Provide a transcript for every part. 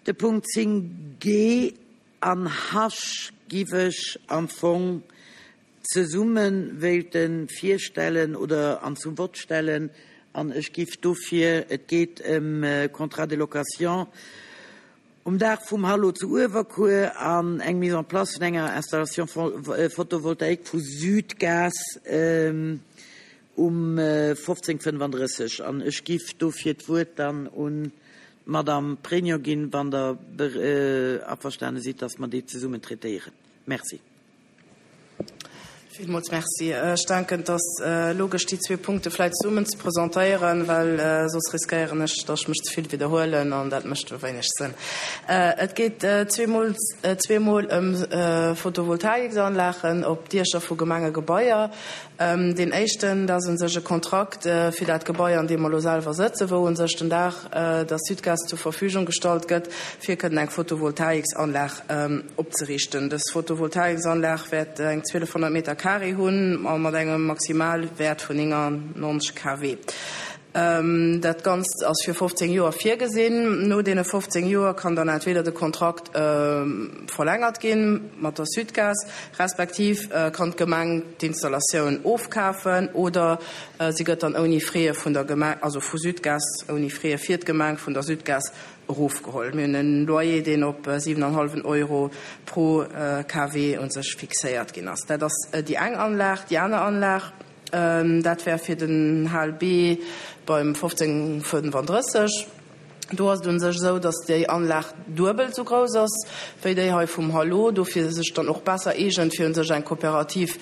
De Punkt 10 g an H giff ech am Fong zesumme wéilte virstellen oder an zum Vott stellen an ech giff dofir, et geet ëm Contrat de location um Daach vum Hallo zu Uewerkuer an eng Mise en place vun enger Installation photovoltaïque vu Südgas um 15.35 an ech giff dofir d'Wuert dann un d'Madame Pregno ginn, wann Der averstane sidd, dass mer déi zesummen traitéieren. Merci. Villmools Merci. Ech denken, et ass logesch, déi zwee Punkte vläicht zesummen ze presentéieren, well soss riskéieren ech, datt ech mech ze vill widderhuelen, an dat mécht e wéineg Sënn. Et geet zweemol, zweemol ëm Photovoltaiksanlagen op Diecher vu Gemengegebaier. Deen éischten, dat ass u sech e Kontrakt fir dat Gebai, an deem mer elo selwer sëtzen, wou u sech den Dag der Sudgaz zur Verfügung gestallt gëtt, fir kënnen eng Photovoltaiksanlag opzeriichten. Dës Photovoltaiksanlag wäert eng 1200 Meter carré hunn a mat engem Maximalwäert vun 99 kW. Dat Ganzt ass fir 15 Joer virgesinn. No deene 15 Joer kann dann entweder de Kontrakt verlängert gi mat der Sudgaz, respektiv kann d'Gemeng d'Installatioun ofkafen oder si gëtt dann ouni Frais vun der Gemeng, also vu Sudgaz, ouni Frais fir d'Gemeng vun der Sudgaz erofgeholl. Mir hunn en Loyer, deen op 7,5 Euro pro KW u sech fixéiert ginn ass. Dat ass déi eng Anlag. Déi aner Anlag, Dat wär fir den HLB beim 1535. Do ass et u sech esou, datt déi Anlag duebel esou grouss ass wéi déi hei vum Hallo, dofir sech dann och besser eegent, fir u sech eng Kooperativ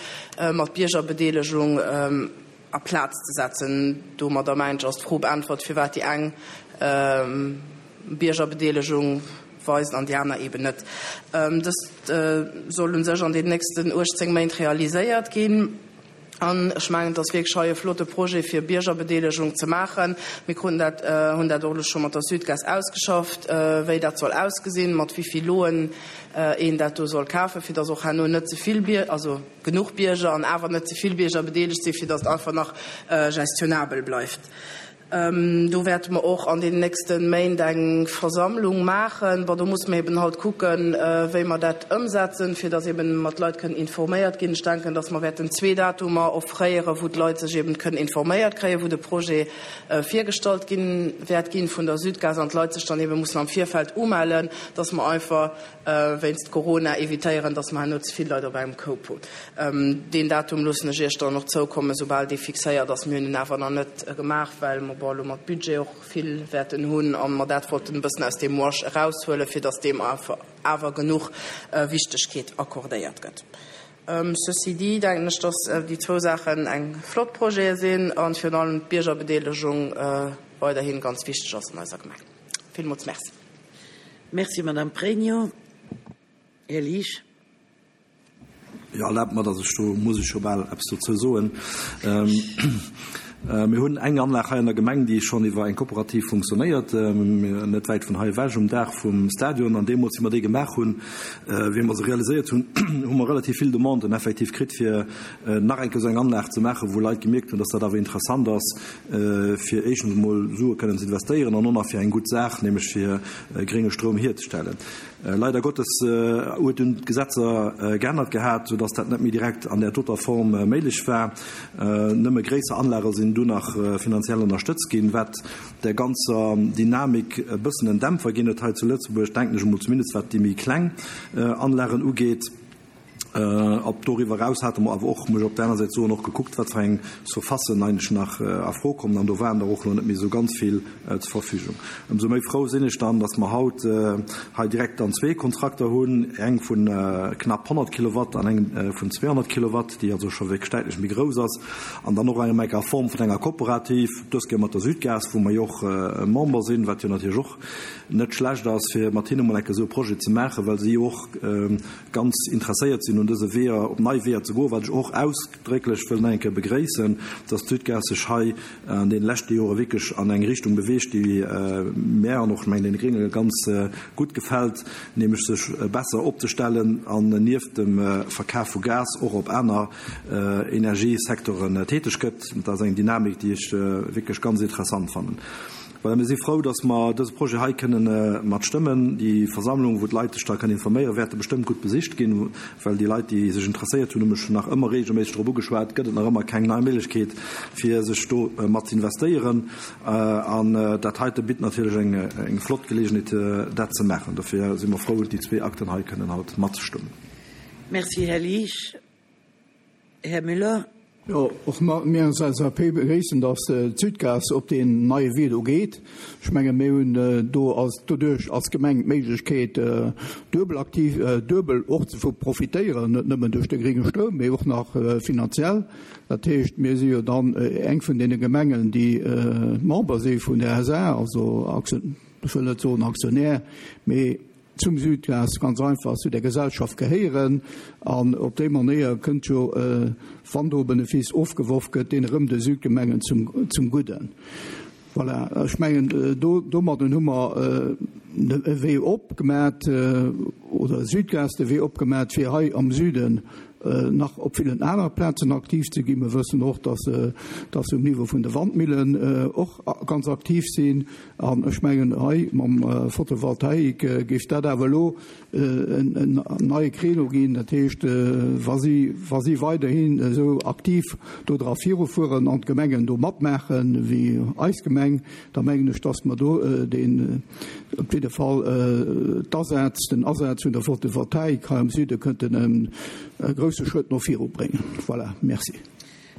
mat Biergerbedeelegung a Plaz ze setzen. Domadder, mengen ech, ass d'Fro beäntwert, firwat déi eng Biergerbedeelegung weist an déi aner eeben net. Dëst soll u sech an den nächsten 18 Méint realiséiert ginn. An ech mengen, et ass wierklech hei e flotte Projet, fir Biergerbedeelegung ze maachen. Mir kruten dat, hunn dat och elo scho mat der Sudgaz ausgeschafft, wéi dat soll ausgesinn, mat wéi vill Loen een dat do soll kafen, fir dass och herno net ze vill Bier, also genuch Bierger an awer net ze vill Bierger bedeelegt sinn, fir dass et einfach nach gestionabel bleift. Do wäerte mer och an den nächste Méint eng Versammlung maachen. Bon, do musse mer eben halt kucken, wéi mer dat ëmsetzen, fir dass eben mat d'Leit kënnen informéiert ginn. Ech denken, dass mer wäerten zwee Datumer offréieren, wou d'Leit sech eben kënnen informéiert kréien, wou de Projet virgestallt ginn wäert ginn vun der Sudgaz an d'Leit sech dann eben mussen am Virfeld umellen, dass mer einfach wéinst Corona evitéieren, dass mer herno ze vill Leit op engem Koup hunn. Deen Datum loossen ech Iech dann och zoukommen, soubal dee fixéiert ass. Mir hunn en awer nach net gemaach, well mer bon elo mat Budget och vill wäerten hunn a mer dat wollten e bëssen aus deem Wash eraushuelen, fir dass deem awer genuch Wichtegkeet accordéiert gëtt. Ceci dit denken ech, dass déi zwou Saachen eng flott Projete sinn a virun allem d'Biergerbedeelegung weiderhi ganz wichteg ass an eiser Gemeng. Villmools Merci. Merci, Madame Pregno. Här Liesch. Jo, erlaabt mer, dass ech do, muss ech jo bal eppes dozou soen. Mir hunn eng Anlag hei an der Gemeng, déi schonn iwwer eng Kooperativ funktionéiert, net wäit vun hei ewech, um Daach vum Stadion. An deemools, wéi mer déi gemaach hunn, wéi mer se realiséiert hunn, hu mer relativ vill Demanden effektiv kritt, fir nach eng Kéier esou eng Anlag ze maachen, wou Leit gemierkt hunn, dass dat awer interessant ass, fir éischtens emol Sue kënnen ze investéieren an och nach fir eng gutt Saach, nämlech fir grénge Stroum hierzestellen. Leider Gottes huet dunn d'Gesetzer geännert gehat, soudass dat net méi direkt an där doter Form méiglech war. Nëmme gréisser Anlage sinn dunn nach finanziell ënnerstëtzt ginn, wat där ganzer Dynamik e bëssen en Dämpfer ginn huet hei zu Lëtzebuerg, denken ech emol, zumindest wat déi méi kleng Anlagen ugeet. Op doriwwer eraus hate mer awer och, muss ech op der aner Säit soen, och gekuckt, wat fir eng Surfacen eigentlech nach a Fro kommen, an do waren der och elo net méi esou ganz vill zur Verfügung. Ëmsou méi frou sinn ech dann, dass mer haut hei direkt dann zwee Kontrakter hunn, eng vu knapp 100 Kilowatt an eng vun 200 Kilowatt, déi also scho wierklech däitlech méi grouss ass, an dann och eng a Form vun enger Kooperativ, dës Kéier mat der Sudgaz, wou mer jo och Member sinn, wat jo natierlech och net schlecht ass, fir mat hinne mol eng Kéier esou e Projet ze maachen, well si jo och ganz interesséiert sinn un dëse Weeër, op nei Weeër ze goen, wat ech och ausdrécklech wëll nach eng Kéier begréissen, dass d'Sudgaz sech hei an deene leschte Jore wierklech an eng Richtung beweegt, déi mär an och, ech mengen, deene Grénge ganz gutt gefält, nämlech sech besser opzestellen an nieft dem Verkaf vu Gas och op aner Energiesecteuren täteg gëtt. Dat ass eng Dynamik, déi ech wierklech ganz interessant fannen. Voilà, mir si frou, dass mer dëse Projet hei kënnen mat stëmmen. Déi Versammlung, wou d'Leit sech da kënnen informéieren, wäerte bestëmmt gutt besicht ginn, well déi Leit, déi sech interesséiert hunn, hu mech nach ëmmer regelméisseg drop ugeschwat, gëtt et nach ëmmer keng nei Méiglechkeet, fir sech do mat ze investéieren. An dat heite bitt natierlech eng flott Geleegenheet, dat ze maachen. Dofir si mer frou, déi zwee Akten hei kënnen haut matzestëmmen. Merci, Här Liesch. Här Müller. Jo, och mir als LSAP begréissen, dass d'Südgas op deen neie Wee do geet. Ech menge mir hunn do als doduerch als Gemeng d'Méiglechkeet duebel aktiv, duebel och ze vu profitéieren, net nëmmen duerch de grénge Stroum, mee och nach finanziell. Dat heescht, mir si jo dann eng vun deene Gemengen, déi Member si vun der SA, also ech wëll net soen Aktionär, mee zum Südgas ganz einfach zu der Gesellschaft gehéieren an op déi Manéier kënnt jo, wann do e Benefice ofgeworf gëtt, deen erëm de Südgemengen zum Gudden. Voilà, ech mengen, do domadden hu mer e Wee opgemat, oder Südgas de Wee opgemat, fir hei am Süden nach op villen anere Plazen aktiv ze ginn. Mir wëssen och, dass se um Niveau vun de Wandmillen och ganz aktiv sinn. An ech mengen, hei mam Photovoltaik géif dat awer elo en neie Créneau ginn. Dat heescht, wa si, wa si weiderhin esou aktiv do dra virufueren an d'Gemengen do matmaachen, wéi eis Gemeng, da mengen ech, dass mer do deen, op jidde Fall d'Asaz, den Asaz vun der Photovoltaik hei am Süde kënnten e grouse Schrëtt no viru bréngen. Voilà, merci.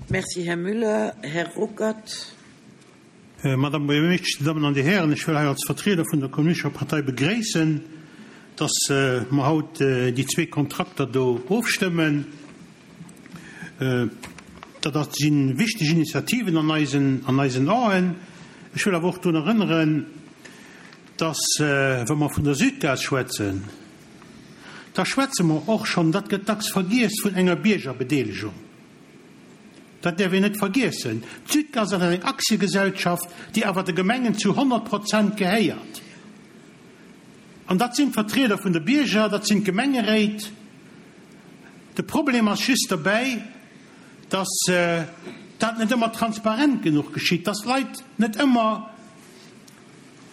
Merci, Här Müller. Här Ruckert. Madame Buergermeeschtesch, Dir Dammen an Dir Hären, ech wëll hei als Vertrieder vun der Kommunistescher Partei begréissen, dass mer haut déi zwee Kontrakter do ofstëmmen. Dat ass, si wichteg Initiativen an eisen, an eisen Aen. Ech wëll awer och drun erënneren, dass, wa mer vun der Südgas schwätzen, da schwätze mer och schonn, dat gëtt dacks vergiess, vun enger Biergerbedeelegung. Dat däerf een net vergiessen. D'Südgas ass eng Aktiegesellschaft, déi awer de Gemengen zu 100 Prozent gehéiert. An dat sinn d'Vertrieder vun de Bierger, dat sinn d'Gemengeréit. De Problem ass just dobäi, dass dat net ëmmer transparent genuch geschitt, dass d'Leit net ëmmer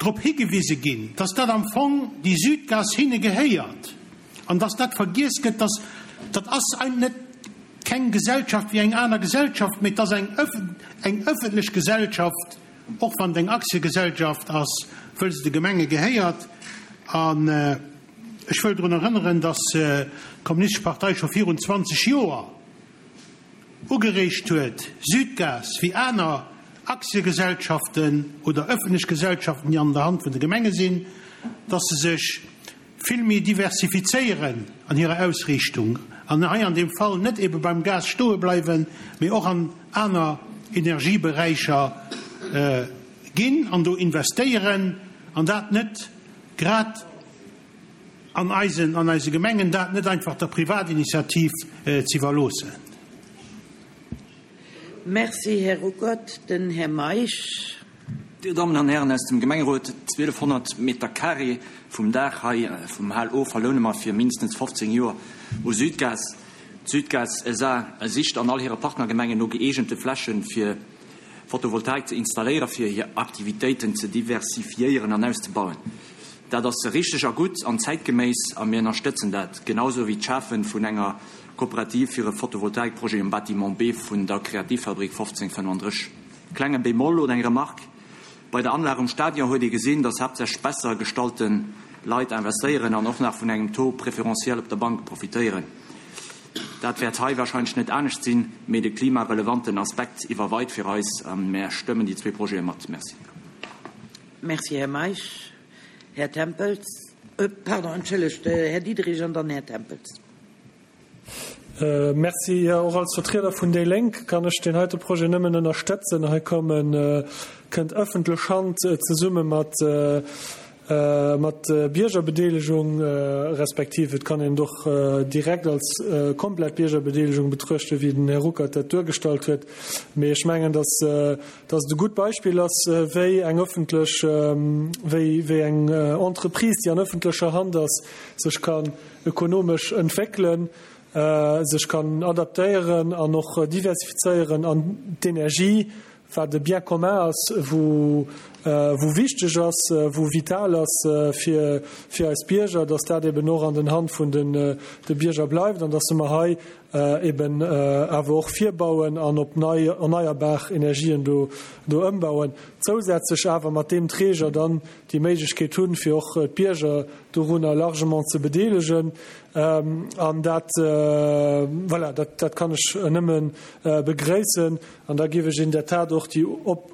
drop higewise ginn, dass dat am Fong déi Südgas hinne gehéiert an dass dat vergiess gëtt, dass dat ass ein net keng Gesellschaft wéi eng aner Gesellschaft, mee et ass eng eng ëffentlech Gesellschaft, och wann et eng Aktiegesellschaft ass, wëll se de Gemenge gehéiert. An ech wëll drun erënneren, dass d'Kommunistesch Partei scho virun 20 Joer ugereegt huet, Südgas wéi aner Aktiegesellschaften oder öffentlech Gesellschaften, déi an der Hand vun de Gemenge sinn, dass se sech vill méi diversifizéieren an hirer Ausriichtung an hei an deem Fall net ebe beim Gas stoe bleiwen, mee och an aner Energieberäicher ginn an do investéieren an dat net grad an eisen, an eise Gemengen, dat net einfach der Privatinitiativ z'iwwerloossen. Merci, Här Ruckert. Den Här Meisch. Dir Dammen an Hären aus dem Gemengerot, 1.200 Meter carré vum Daach hei vum Hal O verloune mer fir mindestens 15 Joer u Südgas. D'Südgas SA sicht an all hire Partnergemengen no gëeegente Flächen, fir Photovoltaik ze installéieren, fir hir Aktivitéiten ze diversifiéieren an auszebauen. Dat ass richteg a gutt an zäitgeméiss a mir ënnerstëtzen dat, genau sou wéi d'Schafe vun enger Kooperativ fir e Photovoltaikprojet um Bâtiment B vun der Kreativfabrik 1535. Klenge Bémol oder eng Remarque, Bei der Anlag um Stadion huet ee gesinn, dass haaptsächlech besser gestallte Leit investéieren an och nach vun engem Taux préférentiel op der Bank profitéieren. Dat wäert hei wahrscheinlech net anescht sinn, mee de klimarelevanten Aspekt iwwerweit fir eis a mär stëmmen déi zwee Projete mat. Merci. Merci, Här Meisch. Här Tempels, pardon, entschëllegt, Här Diderich an dann Här Tempels. Merci. Jo, och als Vertrieder vun déi Lénk kann ech deen heite Projet nëmmen ënnerstëtzen. Hei kommen, kënnt ëffentlech Hand zesumme mat, mat Biergerbedeelegung, respektiv et kann een et och direkt als komplett Biergerbedeelegung betruechten, wéi den Här Ruckert dat duergestallt huet. Mee ech mengen, dass, dass et e gutt Beispill ass, wéi eng ëffentlech, wéi, wéi eng Entreprise, déi an ëffentlecher Hand ass, sech kann ökonomesch entwéckelen, sech kann adaptéieren an och diversifizéieren an d'Energie, wat e Bien commun ass, wou. wou wichteg ass, wou vital ass fir fir eis Bierger, dass dat eben och an den Hand vun den de Bierger bleift an dass mer hei eben awer och virbauen an op nei erneierbar Energien do do ëmbauen, zousätzlech awer mat deem Träger dann déi Méiglechkeet hunn, fir och d'Bierger dorunner largement ze bedeelegen. An dat, voilà, dat dat kann ech nëmme begréissen. An da géif ech in der Tat och déi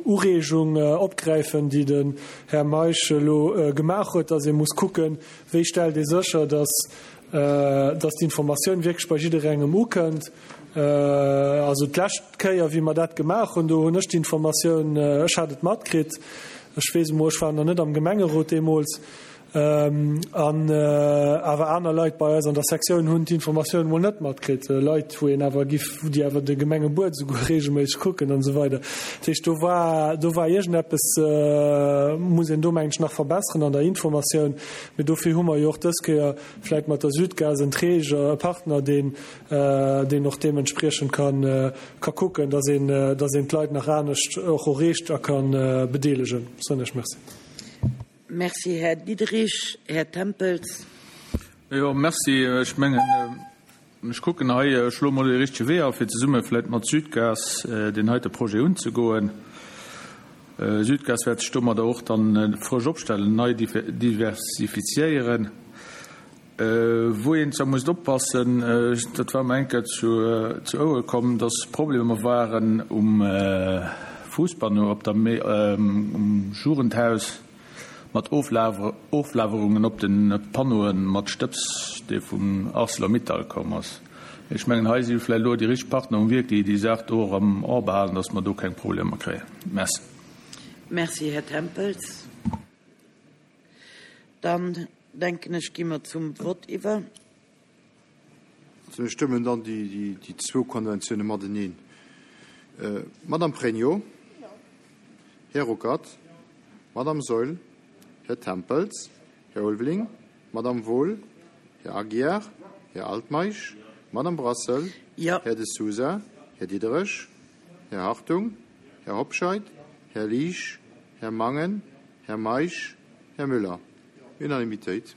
Ureegung opgräifen, déi den Här Meisch elo gemaach huet, dass ee muss kucken, wéi stellt ee sécher, dass, dass d'Informatioun wierklech bei jidderengem ukënnt. Also d'lescht Kéier, wéi mer dat gemaach hunn, do hunn ech d'Informatioun, ech hat et matkritt, ech weess emol, ech war nach net am Gemengerot deemools, An awer aner Leit bei eis an der Sektioun hunn d'Informatioun emol net matkritt, Leit, wou een awer giff, déi awer de Gemengebuet esouguer reegelméisseg kucken an esou weider. Dat heescht, do war, do war iergendeppes, muss een do, mengen ech, nach verbesseren an der Informatioun. Mee dofir hu mer jo och dës Kéier vläicht mat der Südgas en Träger, e Partner, deen, deen och deementspriechend ka, ka kucken, dass een, dass een d'Leit nach anescht och erreecht a ka bedeelegen. Soen ech Merci. Merci, Här Diderich. Här Tempels. Jo, merci. Ech mengen, ech kucken hei, ech schloe mol de richtege Wee a fir zesumme vläicht mat Südgas deen heite Projet unzegoen. Südgas wäert sech domadder och dann frësch opstellen, nei diversifiziéieren. Wou een zwar musst oppassen, dat war mer eng Kéier zu Ouere komm, dass Problemer waren um Fuusspanneau op der, um Jugendhaus mat Oflagerungen op de Panneaue mat Stëbs, dee vum Arcelor-Mittal komm ass. Ech mengen, hei si vläicht elo déi richteg Partner um Wierk, déi déi Saach do och am A behalen, dass mer do keng Problemer kréien. Merci. Merci, Här Tempels. Dann denken ech, gi mer zum Vott iwwer. Also mir stëmmen dann déi zwou Konventioune mateneen. Madame Pregno? Här Ruckert? Madame Saeul? Här Tempels? Här Ulveling? Madame Wohl? Här Aguiar? Här Altmeisch? Madame Brassel? Här De Sousa? Här Diderich? Här Hartung? Här Hobscheit? Här Liesch? Här Mangen? Här Meisch? Här Müller? Unanimitéit.